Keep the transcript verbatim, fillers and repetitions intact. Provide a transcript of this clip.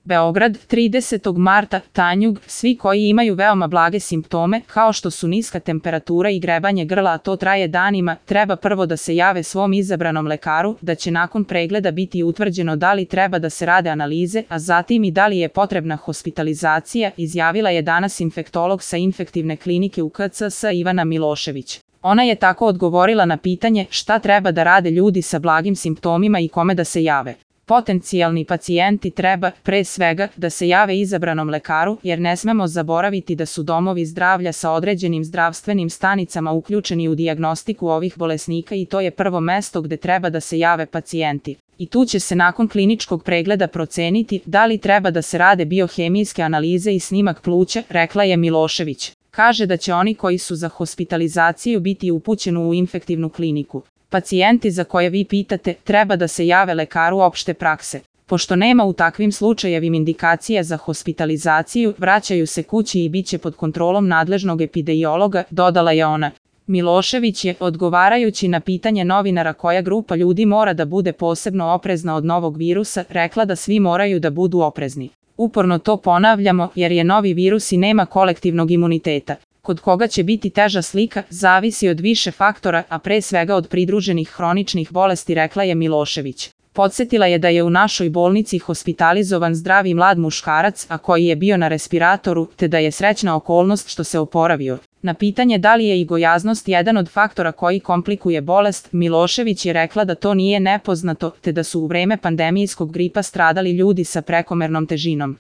Beograd, tridesetog marta, Tanjug, svi koji imaju veoma blage simptome, kao što su niska temperatura i grebanje grla, a to traje danima, treba prvo da se jave svom izabranom lekaru, da će nakon pregleda biti utvrđeno da li treba da se rade analize, a zatim i da li je potrebna hospitalizacija, izjavila je danas infektolog sa infektivne klinike u K C S Ivana Milošević. Ona je tako odgovorila na pitanje šta treba da rade ljudi sa blagim simptomima i kome da se jave. Potencijalni pacijenti treba, pre svega, da se jave izabranom lekaru, jer ne smemo zaboraviti da su domovi zdravlja sa određenim zdravstvenim stanicama uključeni u dijagnostiku ovih bolesnika i to je prvo mesto gde treba da se jave pacijenti. I tu će se nakon kliničkog pregleda proceniti da li treba da se rade biohemijske analize i snimak pluća, rekla je Milošević. Kaže da će oni koji su za hospitalizaciju biti upućeni u infektivnu kliniku. Pacijenti za koje vi pitate treba da se jave lekaru opšte prakse. Pošto nema u takvim slučajevima indikacija za hospitalizaciju, vraćaju se kući i bit će pod kontrolom nadležnog epidemiologa, dodala je ona. Milošević je, odgovarajući na pitanje novinara koja grupa ljudi mora da bude posebno oprezna od novog virusa, rekla da svi moraju da budu oprezni. Uporno to ponavljamo jer je novi virus i nema kolektivnog imuniteta. Kod koga će biti teža slika, zavisi od više faktora, a pre svega od pridruženih hroničnih bolesti, rekla je Milošević. Podsetila je da je u našoj bolnici hospitalizovan zdravi mlad muškarac, a koji je bio na respiratoru, te da je srećna okolnost što se oporavio. Na pitanje da li je i gojaznost jedan od faktora koji komplikuje bolest, Milošević je rekla da to nije nepoznato, te da su u vreme pandemijskog gripa stradali ljudi sa prekomernom težinom.